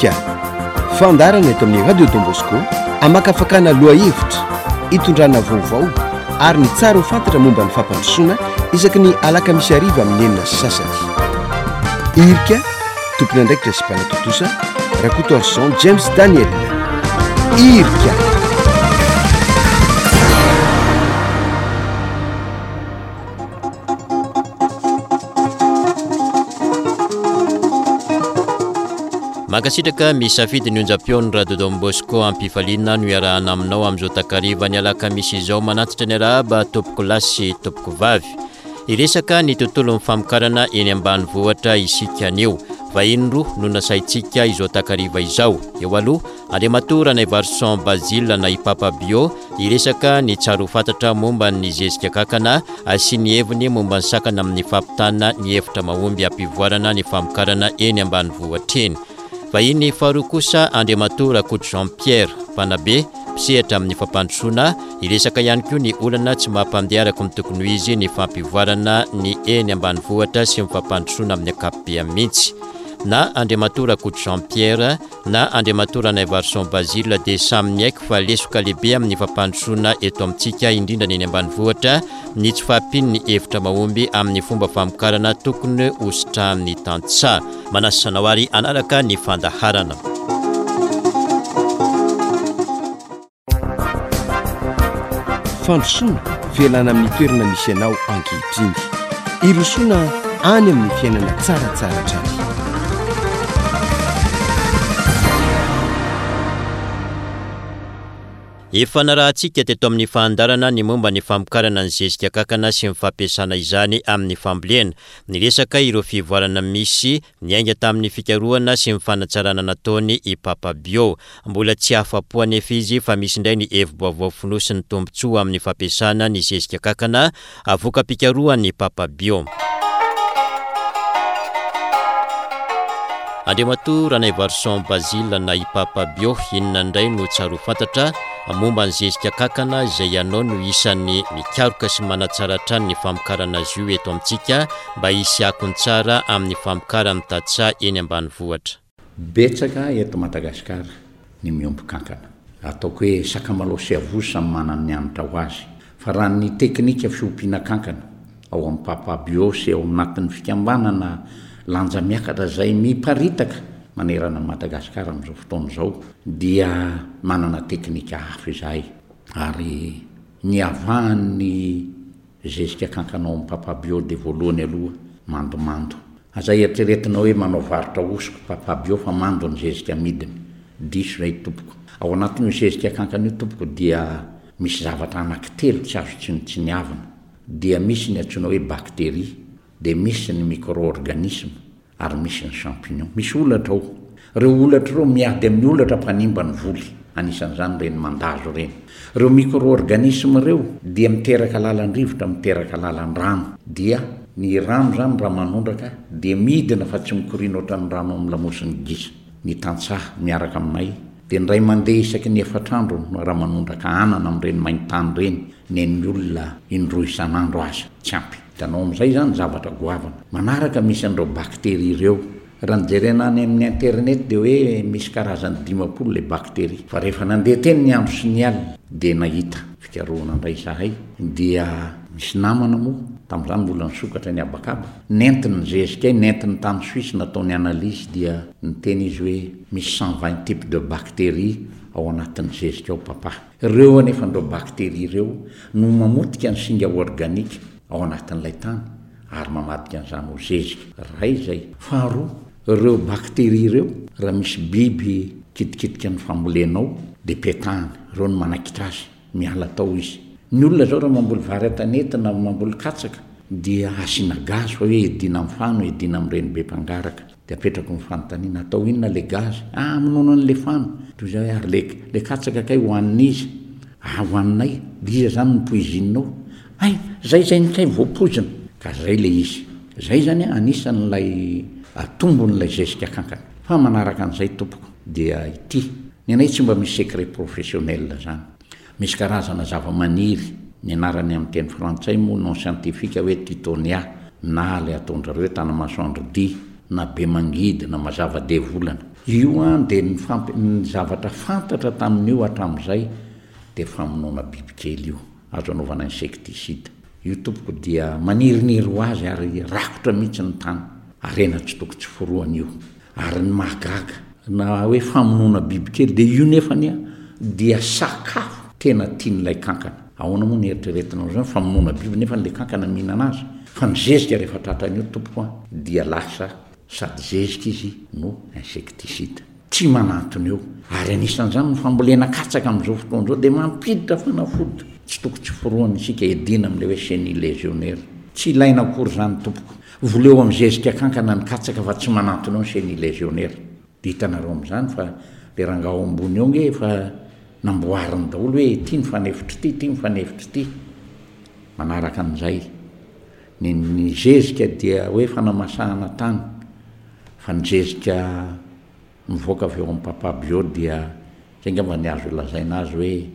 Irika, fandaharana eto amin'ny Radio Don Bosco hamakafakana lohahevitra, hitondrana vaovao ary ny tsara ho fantatra momba ny fampandrosoana isaky ny alakamisy hariva amin'ny 6:30. Irika, tompon'andraikitra sy mpanatontosa, Rakotoarison James Daniel. Irika. Mankasitraka misafidy ny onjam-peon'ny Radio Don Bosco am-pifaliana no iarahana aminao amin'izao takariva ny alakamisy izao manantitra ny arahaba tompoko lahy sy tompoko vavy. Hiresaka ny tontolon'ny famokarana eny ambanivohitra isika anio. Vahiny roa no nasaintsika izao takariva izao. Eo aloha, Andriamatoa Ranaivarison Basile na i Papa Bio hiresaka ny tsara ho fantatra momba ny zezika kankana sy ny heviny momba ny sakana amin'ny fampitana ny hevitra mahomby hampivoarana ny famokarana eny ambanivohitra eny. Vahiny faharoa kosa Andriamatoa Rakoto Jean Pierre, mpanabe, mpisehatra amin'ny fampandrosoana, hiresaka ihany koa ny olana tsy mampandeha araka ny tokony ho izy ny fampivoarana ny eny ambanivohitra sy ny fampandrosoana amin'ny ankapobeny mihitsy. Na Andriamatoa Rakoto Jean Pierre, na Andriamatoa Ranaivarison Basile dia samy niaiky fa lesoka lehibe amin'ny fampandrosoana eto amintsika, indrindra ny eny ambanivohitra, ny tsy fahampian'ny hevitra mahomby amin'ny fomba famokarana tokony hositrahan'ny tantsaha. Manasa anao ary hanaraka ny fandaharana. Fandrosoana, fialana amin'ny toerana misy anao ankehitriny. Hirosoana any amin'ny fiainana tsaratsara hatrany. Efa narahantsika teto amin'ny fandaharana ny momba ny famokarana ny zezika kankana sy ny fampiasana izany amin'ny fambolena. Niresaka ireo fivoarana misy Niainga tamin'ny fikarohana sy ny fanatsarana nataony i Papa Bio. Mbola tsy afa-po anefa izy fa misy indray ny hevi-baovao fonosin'ny tombontsoa amin'ny fampiasana ny zezika kankana, voka-pikarohan'i Papa Bio. Andriamatoa Ranaivarison Basile na i Papa Bio, inona indray no tsara ho fantatra momba ny zezika kankana izay ianao no isan'ny mikaroka sy manatsara hatrany ny famokarana azy io eto amintsika mba hisy akony tsara amin'ny famokaran'ny tantsaha eny ambanivohitra. Betsaka eto Madagasikara ny miompy kankana. Ataoko hoe sakamalao sy avozo samy manana ny hanitra ho azy. Fa raha ny teknika fiompiana kankana ao amin'ny Papa Bio sy ao anatin'ny fikambanana Lanja Miakatra izay miparitaka manerana an'i Madagasikara amin'izao fotoana izao dia manana teknika hafa izahay ary niavahan'ny Zezika kankana ao am papa bio de voalohany aloha mandomando. Aza eritreretina hoe manao varotra hosoka papa bio fa mando ny zezika amidiny. Diso zay tompoko. Ao anatin'io zezika kankana io tompoko dia misy zavatra anaky telo tsy azo tsinontsiniavina. Dia misy ny antsoina hoe bacterie, dia misy ny micro-organisme, ary misy ny champignon. Misy holatra ao. Ireo holatra ireo miady amin'ny holatra mpanimba ny voly, anisan'izany ireny mandazo ireny. Ireo micro-organismes ireo dia miteraka lalan-drivotra, miteraka lalan-drano. Dia ny rano izany raha manondraka dia midina fa tsy mikoriana ohatran'ny rano amin'ny lamosin'ny gisa. Ny tantsaha miaraka aminay dia indray mandeha isaky ny efatr'andro no raha manondraka anana amin'ireny main-tany ireny, nen'ny olona indroa isan'andro aza tsy ampy. Hitanao amin'izay izany zavatra goavana. Manaraka misy an'ireo bakteria ireo. Raha ny jerena any amin'ny internet dia hoe misy karazany 50 ilay bakteria. Fa rehefa nandeha teny ny andro sy ny alina dia nahita fikarohana indray izahay dia misy namana moa, tamin'izany mbola nisokatra ny habakaba, nentiny ny zezikay, nentiny tany Suisse nataony analyse dia niteny izy hoe misy 120 types de bactéries ao anatin'ny zezika ao papa. Ireo anefa ireo bakteria ireo no mamotika ny singa organika ao anatin'ilay tany ary mamadika an'izany ho zezika. Iray izay. Faharoa, ireo bakteria ireo, raha misy biby kitikitika ny fambolenao dia petahany, ireo no manaikitra azy, miala tao izy. Ny olona izao raha mamboly vary an-tanety na mamboly katsaka dia asiana gaz fa hoe hiadiana amin'ny fano, hiadiana amin'ireny be mpangaraka. Dia apetrako ny fanontaniana, atao inona le gaz? Ah, hamonoana an'le fano. Toy izay hoe, ary le, le katsaka kay hohanin'iza? Ah, hohaninay. Dia iza zany no poizinina ao? Hay, zay zay ny kay voapoizina. Ka zay le izy. Zay zany anisan'ilay tombon'ilay zezika kankana. Fa manaraka an'izay tompoko, dia ity. Ny anay tsy mba misy secret professionnel zany. Misy karazana zavamaniry, ny anarany amin'ny teny frantsay moa nom scientifique hoe Tithonia na ilay ataon-dry zareo hoe tanamasoandro dia. na be mangidy na mazava devolana. Io an dia ny fampi ny zavatra fantatra tamin'io hatramin'izay dia famonoana bibikely io, azo anaovana insecticide. Io tompoko dia maniriniry ho azy ary rakotra mihitsy ny tany. Harena tsy toko tsy forohana io. Ary ny mahagaga, na hoe famonoana bibikely dia io nefany an dia sakafo tena tian'ilay kankana. Ahoana moa no eritreretinao izany, famonoana biby nefa ilay kankana mihinana azy? Fa ny zezika rehefa tratran'io tompoko an dia lasa sady zezika izy no insecticide. Tsy manantona eo. Ary anisan'izany ny fambolena katsaka amin'izao fotoana izao dia mampiditra fanafody tsy toko tsy forohana isika hiadiana amin'ilay hoe chenille légionnaire. Tsy ilaina akory izany tompoko. Voleo amin'ny zezika kankana ny katsaka fa tsy manantona eo ny chenille légionnaire. Dia hitanareo amin'izany fa ilay rangahy ao ambony eo ange efa namboariny daholo hoe ity ny fanefitr'ity, ity ny fanefitr'ity. Manaraka an'izay. Ny ny zezika dia hoe fanamasahana tany fa ny zezika mivoaka avy ao amin'ny Papa Bio dia izay angamba ny azo lazaina azy hoe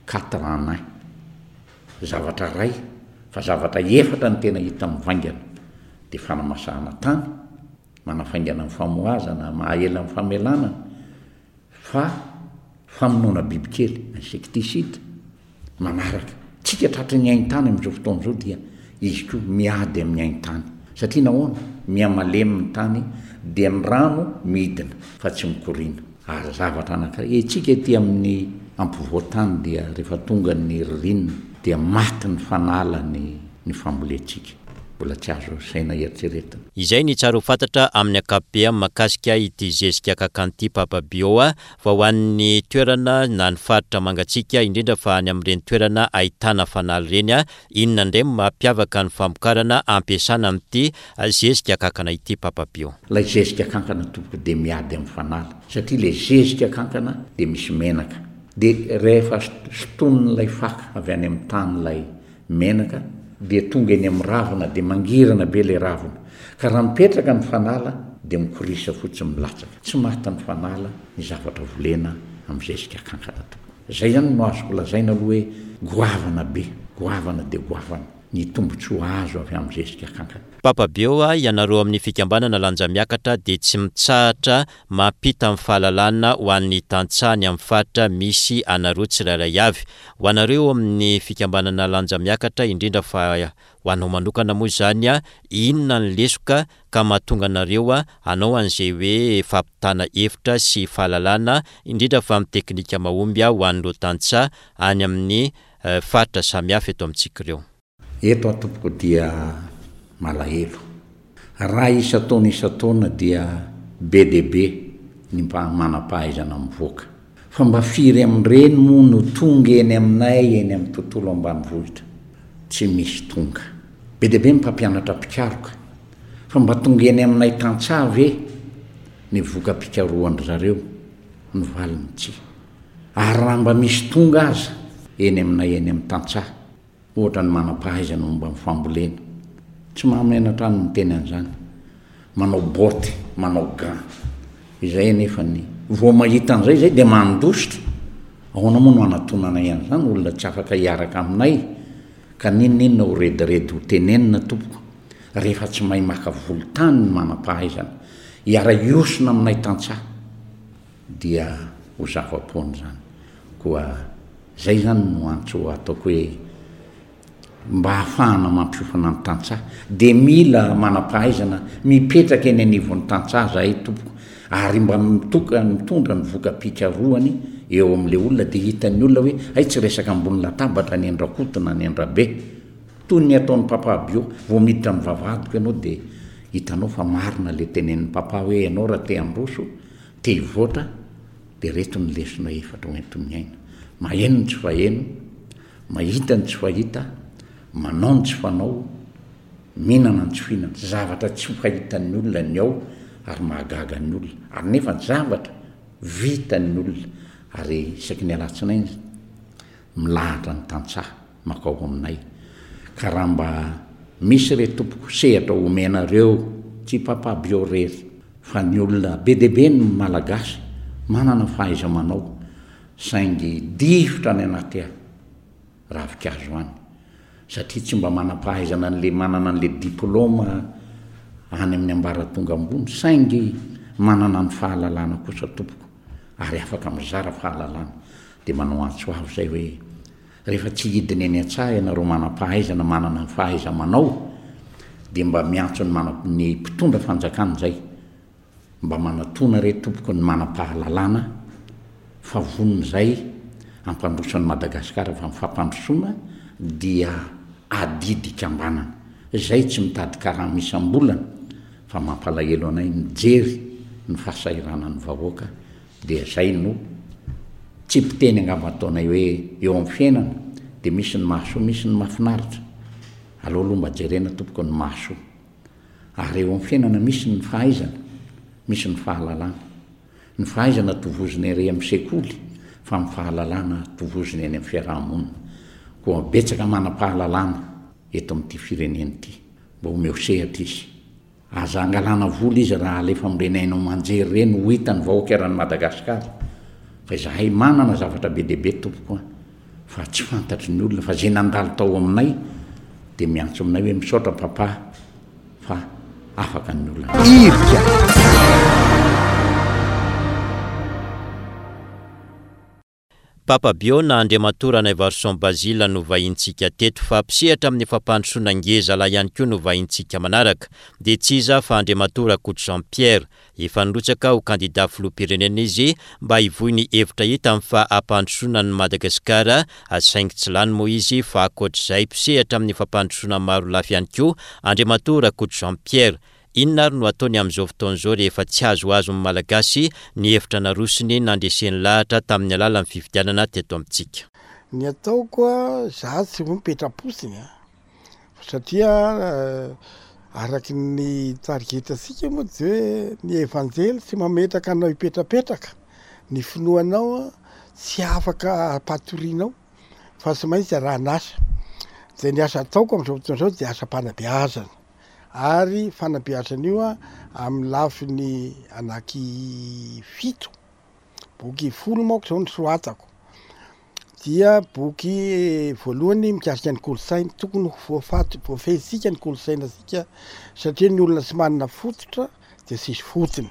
quatre en un. Zavatra iray fa zavatra efatra no tena hita mivaingana dia fanamasahana tany, manafaingana ny famohazana, maha-ela ny famelanana, Fa famonoana bibikely, insecticide, manaraka. Tsika tratry ny haintany amin'izao fotoana izao dia izy koa miady amin'ny haintany. Satria nahoana? Miha-malemy ny tany dia ny rano midina fa tsy mikoriana. Ary zavatra anankiray, etsika ety amin'ny ampovoan-tany dia rehefa tonga ny ririnina dia maty ny fanala ny ny fambolentsika. Mbola tsy azo saina eritreretina. Izay ny tsara ho fantatra amin'ny ankapobeny mahakasika ity zezika kakan'ity Papa Bio fa ho an'ny toerana na ny faritra mangatsiaka indrindra fa any amin'ireny toerana ahitana fanala ireny, inona indray no mampiavaka ny famokarana ampiasana amin'ity zezika kankana ity Papa Bio? Ilay zezika kankana tompoko dia miady amin'ny fanala satria ilay zezika kankana dia misy menaka dia rehefa sintonin'ilay faka avy any amin'ny tany ilay menaka dia tonga eny amin'ny ravina dia mangirana be ilay ravina ka raha mipetraka ny fanala dia mikorisa fotsiny milatsaka tsy maty ny fanala ny zavatra volena amin'ny zezika kankana tokoa zay zany no azoko lazaina aloha hoe goavana be goavana dia goavana ny tombotsoa azo avy amin'ny zezika kankana. Papa Beo a, ianareo amin'ny fikambanana Lanjamiakatra dia tsy mitsahatra mampita ny fahalalana ho an'ny tantsaha any amin'ny faritra misy anareo tsirairay avy. Ho anareo eo amin'ny fikambanana Lanja Miakatra, indrindra fa ho anao manokana moa izany, inona ny lesoka ka mahatonga anareo hanao an'izay hoe fampitana hevitra sy fahalalana, indrindra fa amin'ny teknika mahomby ho an'ireo tantsaha any amin'ny faritra samihafa eto amintsika ireo? Eto aho tompoko dia malahelo. Raha isan-taona isan-taona dia be dia be ny mba manam-pahaizana mivoaka. Fa mba firy amin'ireny moa no tonga eny aminay eny amin'ny tontolo ambanivohitra? Tsy misy tonga. Be dia be ny mpampianatra mpikaroka. Fa mba tonga eny aminay tantsaha ve ny voka-pikarohan-dry zareo? Ny valiny tsia. Ary raha mba misy tonga aza eny aminay eny amin'ny tantsaha, Ohatra ny manam-pahaizana momba ny fambolena. Tsy mahamenatra ahy ny miteny an'izany. Manao botte, manao gants. Izay anefa ny vao mahita an'izay izay dia mandositra. Ahoana moa no hanatonanay an'izany olona tsy afaka hiaraka aminay ka n'inon'inona ho rediredy ho tenenina tompoko rehefa tsy mahay maka volon-tany ny manam-pahaizana. Hiara-hiosona aminay tantsaha. dia ho zava-poana izany. Koa izay izany no antso ataoko hoe mba hahafahana mampiofana ny tantsaha dia mila manam-pahaizana mipetraka eny anivon'ny tantsaha zahay tompoko ary mba mitoka mitondra ny voka-pikarohany eo amin'ilay olona dia hitan'ny olona hoe hay tsy resaka ambony latabatra ny an-dRakoto na ny an-dRabe toy ny ataon'i Papa Bio vao miditra amin'ny vavahadiko ianao dia hitanao fa marina ilay tenenin'i Papa hoe ianao raha te handroso Te hivoatra dia reto ny lesona efatra ho enti-miaina, maheno ny tsy faheno, mahita ny tsy fahita, manao ny tsy fanao, mihinana ny tsy fihinana. Zavatra tsy fahitan'ny olona ny ao ary mahagaga ny olona ary nefa zavatra vitan'ny olona ary isaky ny alatsinainy milahatra ny tantsaha makao aminay ka raha mba misy re tompoko sehatra omenareo tsy papa bio rery fa ny olona be dia be ny malagasy manana fahaiza-manao saingy difotra any anaty ravinkazo any satria tsy mba manam-pahaizana an'le manana an'le diploma. any amin'ny ambaratonga ambony saingy manana ny fahalalana kosa tompoko ary afaka mizara fahalalana dia manao antso avo izay hoe rehefa tsy hidina eny an-tsaha ianareo manam-pahaizana manana ny fahaiza-manao dia mba miantso ny mana ny mpitondra fanjakana izay Mba manatona re tompoko ny manam-pahalalana fa vonona izay hampandroso an'i Madagasikara fa ny fampandrosoana dia adidy ikambanana. Izay tsy mitady karama isam-bolana fa mampalahelo anay mijery ny fahasahiranan'ny vahoaka dia izay no tsipiteny angamba ataonay hoe eo amin'ny fiainana dia misy ny mahasoa misy ny mahafinaritra. Aleo aloha mba jerena tompoko ny mahasoa. Ary eo amin'ny fiainana misy ny fahaizana, misy ny fahalalana. Ny fahaizana tovozina ery amin'ny sekoly fa ny fahalalana tovozina eny amin'ny fiaraha-monina. Koa betsaka manam-pahalalana eto amin'ity firenena ity. Mba omeo sehatra izy. Aza angalana vola izy raha alefa amin'ireny haino aman-jery ireny ho hitan'ny vahoaka eran'i Madagasikara. Fa izahay manana zavatra be dia be tompoko a. Fa tsy fantatry ny olona fa zay nandalo tao aminay dia miantso aminay hoe misaotra papa fa afaka ny olana. Irika. Papa Bio na Andriamatoa Ranaivarison Basile no vahintsika teto fa mpisehatra amin'ny fampandrosoana ngeza lahy ihany koa no vahintsika manaraka dia tsy iza fa Andriamatoa Rakoto Jean Pierre Efa nirotsaka ho kandida filoham-pirenena izy mba hivoy ny hevitra hitany fa hampandrosoana an'i Madagasikara saingy tsy lany moa izy fa ankoatr'izay mpisehatra amin'ny fampandrosoana maro lafy ihany koa Andriamatoa Rakoto Jean Pierre. Inona ary no ataony amin'izao fotoana izao rehefa tsy azoazon'ny Malagasy ny hevitra narosony nandreseny lahatra tamin'ny alalan'ny fifidianana teto amintsika? Ny ataoko a, za tsy ho mipetra-potsiny a. Satria araky ny tarigetantsika moa dia hoe ny Evanjely tsy mametraka anao hipetrapetraka, ny finoanao tsy afaka ampatorianao fa tsy maintsy arahan'asa. Dia ny asa ataoko amin'izao fotoana izao dia asam-panabeazana ary fanabeazana io amin'ny lafiny anaky fito. Boky folo manko izao no soratako. Dia boky voalohany mikasika ny kolontsaina. Tokony ho voafaty, voafehintsika ny kolontsainantsika satria ny olona tsy manana fototra dia tsisy fotony.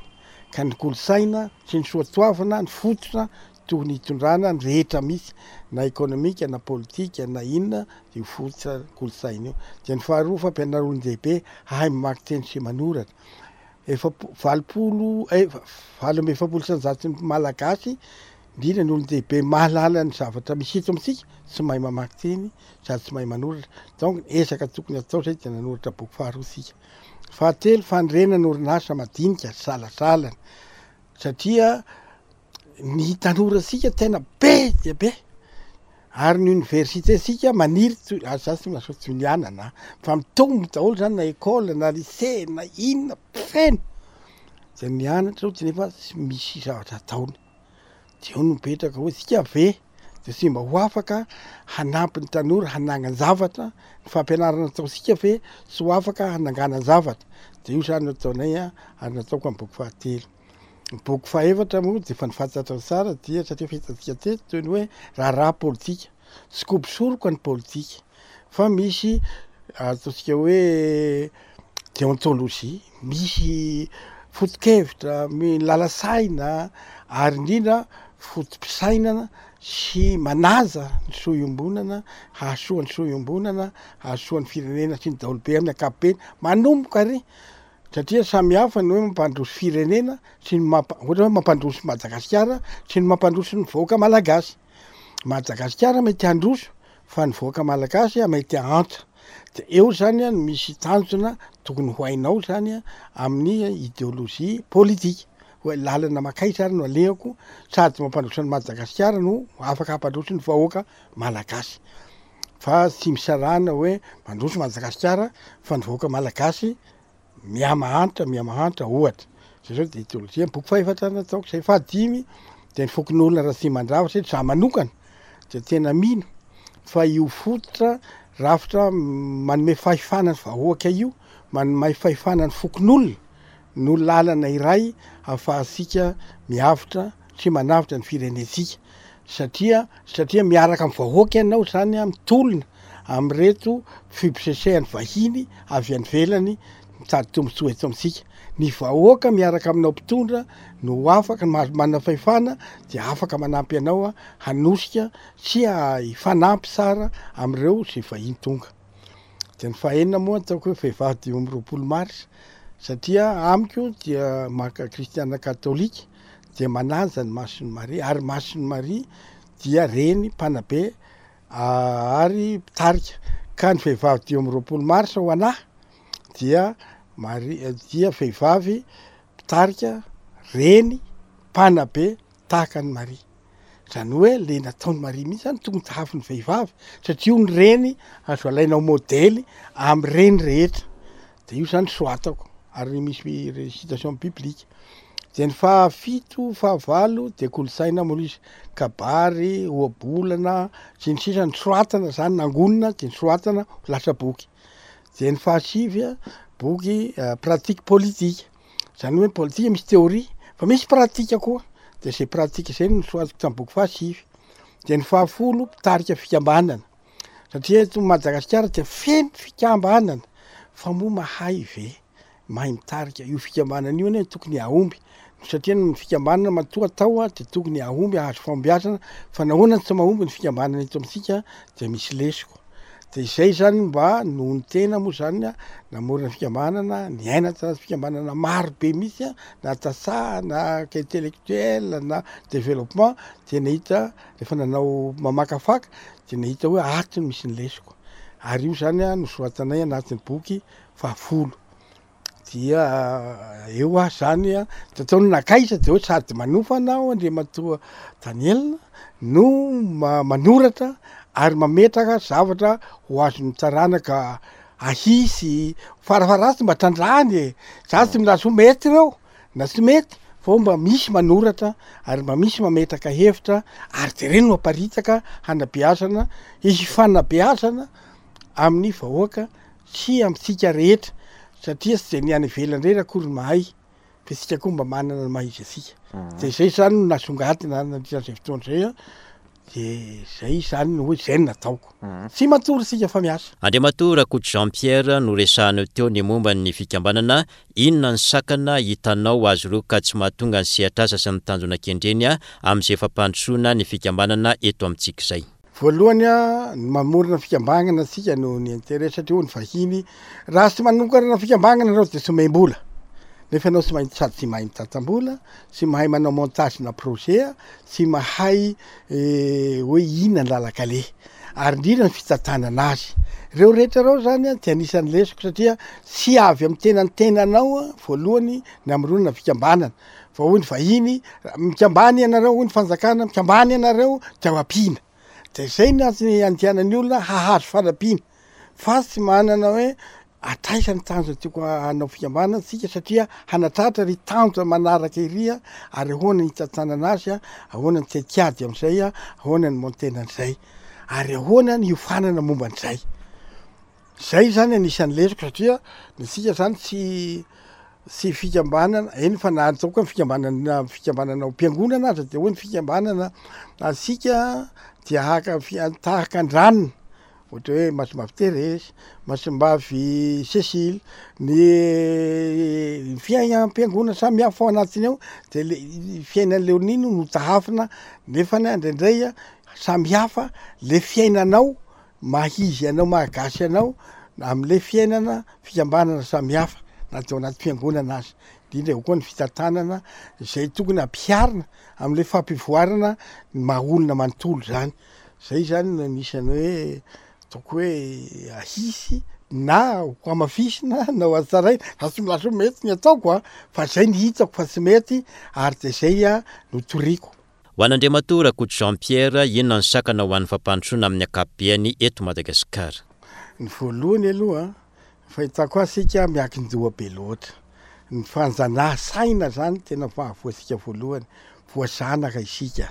Ka ny kolontsaina sy ny soatoavina, ny fototra tokony hitondrana ny rehetra misy na ekonomika na politika na inona dia io fototra kolontsaina io. Dia ny faharoa fampianarana olon-dehibe hahay mamaky teny sy manoratra. Efapo-, 80, 48% ny Malagasy, indrindra ny olon-dehibe mahalala ny zavatra misy eto amintsika, tsy mahay mamaky teny sady tsy mahay manoratra. Donc ny ezaka tokony atao zay dia nanoratra boky faharoa isika. Fahatelo, fanorenana orinasa madinika salasalana satria ny tanorantsika tena be dia be ary ny université tsika maniry toy ary za tsy milaza hoe toy ny anana fa mitombo daholo zany na école na lycée na inona feno zay mianatra eo nefa tsy misy zavatra ataony de eo no mipetraka hoe tsika ve de tsy mba ho afaka hanampy ny tanora hanangan-javatra ny fampianarana ataontsika ve tsy ho afaka hananganan-javatra de io zany no ataonay a ary nataoko amin'ny boky fahatelo. Ny boky fahefatra moa dia efa nifantatra tsara dia satria efa hitantsika teto toy ny hoe raharaha politika. Tsy kobo-soroka ny politika fa misy ataontsika hoe déontologie, misy foto-kevitra, lala-saina ary indrindra foto-pisainana sy manaja ny soa iombonana, hahasoa ny soa iombonana, hahasoa ny firenena sy ny daholobe amin'ny ankapobeny, manomboka ary Satria samy hafa ny hoe mampandroso firenena sy ny mampa- ohatra hoe mampandroso Madagasikara sy ny mampandroso ny vahoaka malagasy. Madagasikara mety handroso fa ny vahoaka malagasy mety hahantra. De eo zany an no misy tanjona tokony ho hainao zany an amin'ny ideolojia politika hoe lalana mankaiza ary no alehako sady mampandroso an'i Madagasikara no afaka hampandroso ny vahoaka malagasy. Fa tsy misarahana hoe mandroso Madagasikara fa ny vahoaka malagasy mihamahantra mihamahantra ohatra. Zay zao de ideolojia. Ny boky fahefatra nataoko zay fahadimy de ny fokonolona Ratsimandrava satria za manokana de tena mino fa io fototra rafitra manome fahefana ny vahoaka io, manome fahefana ny fokonolona no lalana iray ahafahantsika miavotra sy manavotra ny firenentsika satria satria miaraka amin'ny vahoaka ianao zany a mitolona amin'ireto fibosesehan'ny vahiny avy any ivelany. mitady tombontsoa eto amintsika. Ny vahoaka miaraka aminao mpitondra no afaka, mahazo manana fahefana dia afaka manampy anao hanosika sy hifanampy tsara amin'ireo izay vahiny tonga. Dia ny fahaenina moa ataoko hoe vehivavy 25 mars satria amiko dia maka kristiana katolika dia manaja ny Masin'i Maria ary Masin'i Maria dia reny mpanabe ary mpitarika ka ny vehivavy 25 mars ho anah dia Maria dia vehivavy mpitarika reny mpanabe tahaka an'i Maria. Izany hoe le nataon'i Maria mihitsy zany tokony tahafin'ny vehivavy satria io ny reny azo alaina ho modely amin'ny reny rehetra. De io zany soratako ary misy citation biblique. De ny fahafito, fahavalo de kolontsaina moa izy, kabary, ohabolana sy ny sisa nosoratana zany nangonina de nosoratana ho lasa boky. De ny fahasivy a, boky pratique politique. Zany hoe ny politika misy théorie fa misy pratique koa, de zay pratique zay no nosoratako tamin'ny boky fahasivy. De ny fahafolo, mpitarika fikambanana, satria eto Madagasikara dia feno fikambanana fa moa mahay ve mahay mitarika io fikambanana io anie tokony hahomby satria ny fikambanana matoa atao de tokony hahomby hahazo fahombiazana fa nahoana no tsy mahomby ny fikambanana eto amintsika de misy lesoka. De izay zany mba noho ny tena moa zany a, namorona fikambanana, niaina tanaty fikambanana maro be mihitsy a, na tantsaha na intellectuel na développement de nahita rehefa nanao mamakafaka de nahita hoe ato no misy ny lesoko, ary io zany a nosoratanay anatin'ny boky fahafolo. Dia eo aho zany an, de ataony nankaiza de hoe sady manofana aho Andriamatoa Daniel no manoratra ary mametraka zavatra ho azon'ny taranaka ahisy farafaharatsiny mba trandrahany e, za tsy milaza hoe mety ireo na tsy mety fa hoe mba misy manoratra ary mba misy mametraka hevitra ary de reny no aparitaka hanabeazana, hifanabeazana amin'ny vahoaka sy amintsika rehetra satria tsy de ny any ivelany irery akory no mahay fa isika koa mba manana ny maha izy antsika de zay zany no nasongadina nandritra an'izay fotoana zay an, de zay zany no hoe zay no nataoko, tsy matory isika fa miasa. Andriamatoa Rakoto Jean Pierre, noresahanao teo ny momba ny fikambanana, inona ny sakana hitanao azy ireo ka tsy mahatonga ny sehatr'asa sy ny tanjona kendreny amin'izay fampandrosoana ny fikambanana eto amintsika izay? Voalohany a, ny mamorona fikambanana tsika noho ny intérêt satria hoy ny vahiny, raha tsy manokarana fikambanana ianao dia tsy omem-bola, nefa ianao tsy mahay sady tsy mahay mitantam-bola, tsy mahay manao montage na projet, tsy mahay hoe inona ny lalan-kaleha, ary indrindra ny fitantanana azy. Ireo rehetra ireo zany a dia anisan'ny lesoko satria tsy avy amin'ny tenan'ny tenanao voalohany ny hamoronana fikambanana, Fa hoy ny vahiny, mikambana ianareo, hoy ny fanjakana, mikambana ianareo dia ho ampiana. Dia izay ny antony andehanan'ny olona hahazo fanampiana. Fa tsy manana hoe hatraiza ny tanjona tiako hanao fikambanana tsika satria hanatratra ry tanjona manaraka iry ary ahoana ny hitantanana azy, ahoana ny tetikady amin'izay, ahoana ny montena an'izay, ary ahoana ny hiofanana momba an'izay. Zay zany anisan'ny lesoko satria ny antsika zany tsy tsy fikambanana, eny fa na ataoko hoe fikambanana fikambanana ao am-piangonana aza de hoe ny fikambanana antsika dia haka fi- tahaka an-dranona, ohatra hoe Masimbavy Thérèse, Masimbavy Cécile, ny fiainam-piangonana samihafa ao anatiny ao de le fiainan'i Léonie no notahafina nefany indraindray a samihafa le fiainanao maha izy anao maha gasy anao amle fiainana fikambanana samihafa na de ao anaty fiangonana aza, indrindra eo koa ny fitantanana izay tokony ampiharina amle fampivoarana ny maha olona manontolo zany, zay zany no anisan'ny hoe ataoko hoe ahisy na ho hamafisina na ho hatsaraina, za tsy milaza hoe mety ny ataoko an, fa zay ny hitako fa tsy mety ary de zay no toriko. Ho an'Andriamatoa Rakoto Jean Pierre, inona ny sakana ho an'ny fampandrosoana amin'ny ankapobeany eto Madagasikara? Ny voalohany aloha, ny fahitako azy isika miankin-doha be loatra. Ny fanjanaha saina zany tena mahavoa antsika voalohany. Voazanaka isika.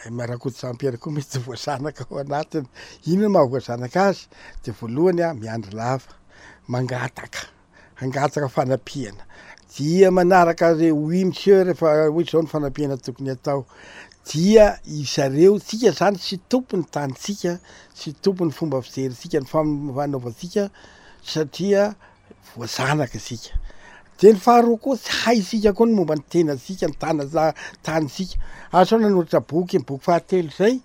Rakoto Jean Pierre koa mety voazanaka ao anatiny. Inona no mahavoazanaka azy? Dia voalohany miandry lava, mangataka. hangataka fanampiana dia manaraka re oui monsieur rehefa hoe zao ny fanampiana tokony atao dia izareo tsika zany tsy tompony tanintsika tsy tompony fomba fijerintsika ny fanaovantsika satria. voazanaka isika. De ny faharoa koa tsy haintsika koa ny momba ny tenantsika, ny tana- tanintsika. Asa aho nanoratra boky, ny boky fahatelo zay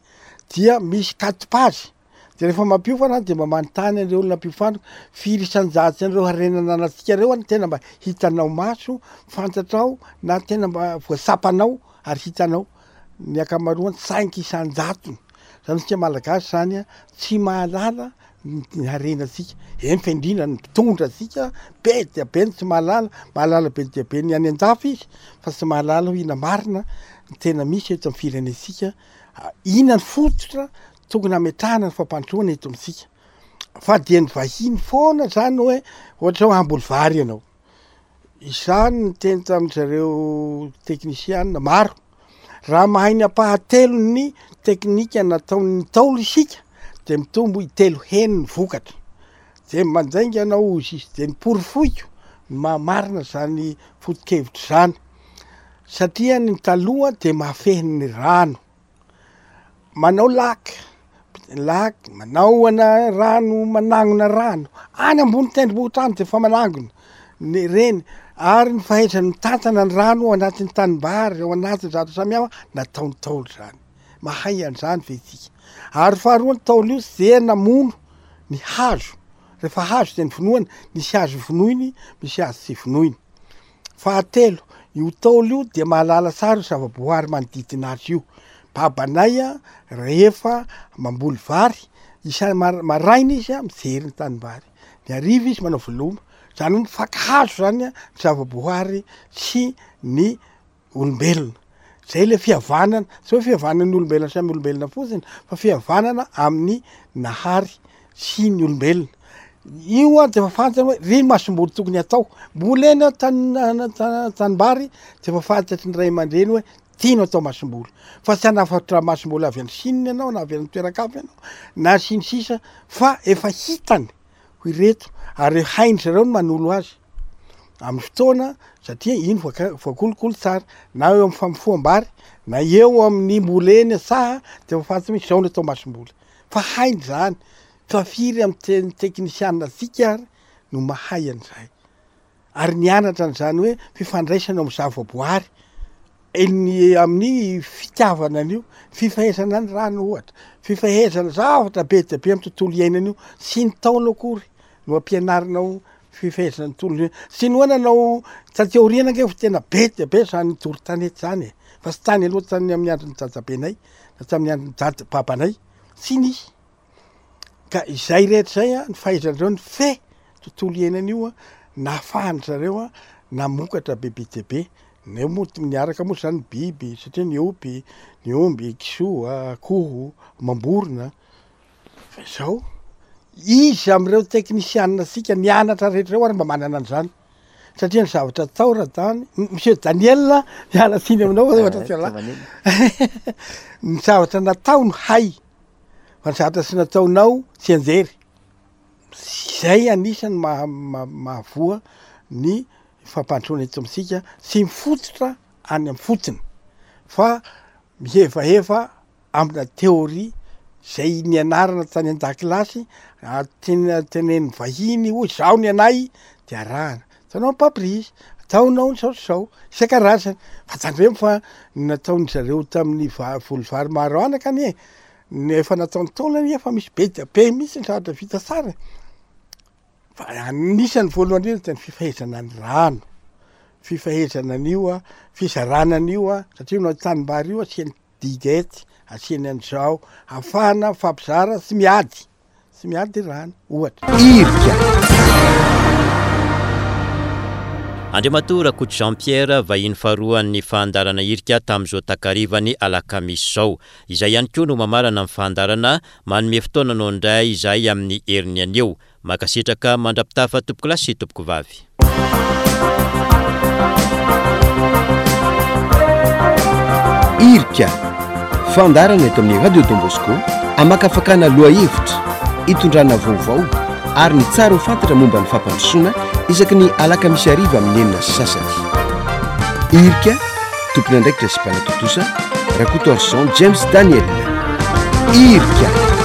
dia misy quatre pages, de rehefa mampiofana aho de mba manontany an'ireo olona ampiofaniko, firy isan-jato an'ireo harena ananantsika ireo no tena mba hitanao maso, fantatrao na tena mba voatsapanao ary hitanao. Ny ankamaroany cinq isan-jatony. Zany isika malagasy zany tsy mahalala ny harenantsika, eny fa indrindra ny mpitondra antsika be dia be ny tsy mahalala, mahalala be dia be ny any an-dafy izy fa tsy mahalala hoe inona marina ny tena misy eto amin'ny firenentsika, inona ny fototra tokony hametrahana ny fampandrosoana eto amintsika, fa dia ny vahiny foana zany hoe ohatra hoe hamboly vary ianao, Izaho niteny tamin-dry zareo teknisiana maro, raha mahay ny ampahatelon'ny teknika nataon'ny Ntaolo isika dia mitombo intelo heny ny vokatra. Dia mandainga ianao hozy izy. Dia noporofoiko ny maha marina izany foto-kevitra izany satria ny taloha dia mahafehy ny rano. Manao lac, lac, manao ana rano, manangona rano, any ambony tendrombohitra any de efa manangona ny reny, ary ny fahaizany mitantana ny rano ao anatin'ny tanimbary, ao anatin'ny zavatra samihafa, nataon'ny Ntaolo zany, mahay an'izany ve isika? Ary faharoa ny Ntaolo io tsy dia namono ny hazo, rehefa hazo de novonoina, nisy hazo vonoiny, misy hazo tsy vonoiny. Fahatelo, io Ntaolo io dia mahalala tsara io zava-boahary manodidina azy io. Babanay rehefa mamboly vary, isa- maraina izy mijery ny tanimbary, ny hariva izy manao veloma, zany hoe mifankahazo zany ny zava-boahary sy ny olombelona. Zay le fihavanana, tsy hoe fihavanan'ny olombelona samy olombelona fotsiny fa fihavanana amin'ny Nahary sy ny olombelona. Io an de efa fantany hoe ry masomboly tokony atao. Mbola eny an-tany tanimbary de efa fantatry ny ray aman-dreny hoe ty no atao masomboly. Fa tsy hanafatra masomboly avy any Chine ianao na avy any toeran-kafa ianao na sy ny sisa fa efa hitany ho ireto ary hain-dry zareo ny manolo azy amin'ny fotoana satria iny voaka- voakolokolo tsara na eo amin'ny famofoham-bary na eo amin'ny mbola eny an-tsaha de efa fantatra hoe izao no atao masomboly fa hainy zany fa firy amin'ny te- teknisiana antsika ary no mahay an'izay ary nianatra an'izany hoe fifandraisana amin'ny zavaboary eny amin'ny fitiavana an'io, fifehezana ny rano ohatra, fifehezana zavatra be dia be amin'ny tontolo iainana io, tsy ny Ntaolo akory no ampianarinao fifehezana ny tontolo iainana, tsy ny hoe nanao taty aoriana ange fa tena be dia be zany doro tanety zany e, fa tsy tany aloha tany amin'ny andron'ny dadabenay na tamin'ny andron'ny dada babanay, tsy nisy. Ka izay rehetra izay an, ny fahaizan-dreo nifehy tontolo iainana io an, nahafahan-dry zareo an namokatra bebe dia be. Neo moa niaraka moa zany ny biby satria niompy, ny omby, kisoa, akoho, amam-borona. Fa izao, iza amin'ireo teknisianina antsika nianatra rehetra ireo ary mba manana an'izany? Satria ny zavatra atao Radany, Monsieur Daniel, miala tsiny aminao fa ohatra tsy ialahy. Ny zavatra natao no hay. Fa ny zavatra tsy nataonao tsianjery. Zay anisany maha- mahavoa ny fampandrosoana eto amintsika tsy mifototra any amin'ny fotony fa mihevaheva amina théorie zay nianarana tany an-dakilasy, tena tenenin'ny vahiny hoy zao ny anay de arahana. Ataonao ny pamprise, ataonao ny zao sy zao, isan-karazany. Fa tandremo fa ny nataon-dry zareo tamin'ny va- voly vary maro anaka anie, ny efa nataon'ny Ntaolo anie efa misy be dia be mihitsy ny zavatra vita tsara e. Fa anisan'ny voalohany indrindra dia ny fifehezana ny rano, fifehezana an'io an, fizarana an'io an, satria io tanimbary io asiany diguette, asiany an'izao, ahafahana mifampizara tsy miady. Tsy miady rano, ohatra. Irika. Andriamatoa Rakoto Jean Pierre, vahiny faharoan'ny fandaharana Irika tamin'izao takarivan'ny alakamisy izao. Izay ihany koa no mamarana ny fandaharana, manome fotoana anao indray izahay amin'ny heriny anio. Mankasitraka mandra-pitafa tompokolahy sy tompokovavy. Irika, fandaharana eto amin'ny Radio Don Bosco, amakafakana lohahevitra, itondrana vaovao ary ny tsara ho fantatra momba ny fampandrosoana isaky ny alakamisy hariva amin'ny 6:30. Irika, tompon'andraikitra sy mpanatontosa, Rakotoarison James Daniel. Irika.